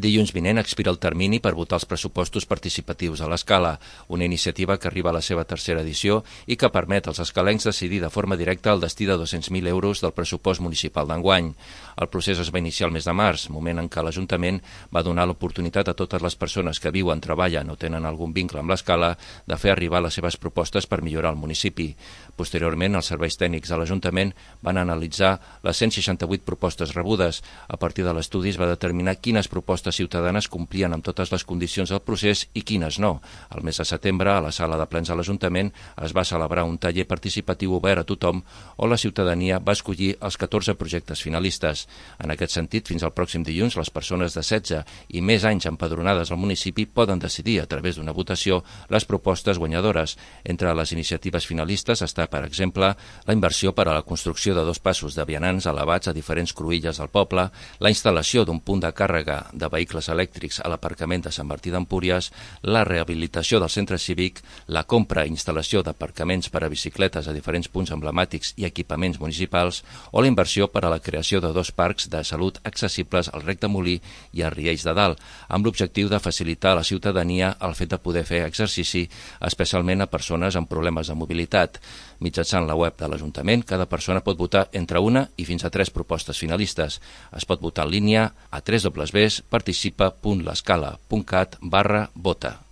Dilluns vinent expira el termini per votar els pressupostos participatius a l'Escala, una iniciativa que arriba a la seva tercera edició i que permet als escalencs decidir de forma directa el destí de 200.000 euros del pressupost municipal d'enguany. El procés es va iniciar el mes de març, moment en què l'Ajuntament va donar l'oportunitat a totes les persones que viuen, treballen o tenen algun vincle amb l'Escala de fer arribar les seves propostes per millorar el municipi. Posteriorment, els serveis tècnics de l'Ajuntament van analitzar les 168 propostes rebudes. A partir de l'estudi es va determinar quines propostes ciutadanes complien amb totes les condicions del procés i quines no. El mes de setembre, a la sala de plens de l'Ajuntament, es va celebrar un taller participatiu obert a tothom on la ciutadania va escollir els 14 projectes finalistes. En aquest sentit, fins al pròxim dilluns, les persones de 16 i més anys empadronades al municipi poden decidir a través d'una votació les propostes guanyadores. Entre les iniciatives finalistes està, per exemple, la inversió per a la construcció de 2 passos de vianants elevats a diferents cruïlles del poble, la instal·lació d'un punt de càrrega de vehicles elèctrics a l'aparcament de Sant Martí d'Empúries, la rehabilitació del centre cívic, la compra i instal·lació d'aparcaments per a bicicletes a diferents punts emblemàtics i equipaments municipals o la inversió per a la creació de 2 parcs de salut accessibles al Rec de Molí i a Riells de Dalt, amb l'objectiu de facilitar a la ciutadania el fet de poder fer exercici, especialment a persones amb problemes de mobilitat. Mitjançant la web de l'Ajuntament, cada persona pot votar entre una i fins a 3 propostes finalistes. Es pot votar en línia a www.participa.lescala.cat/vota.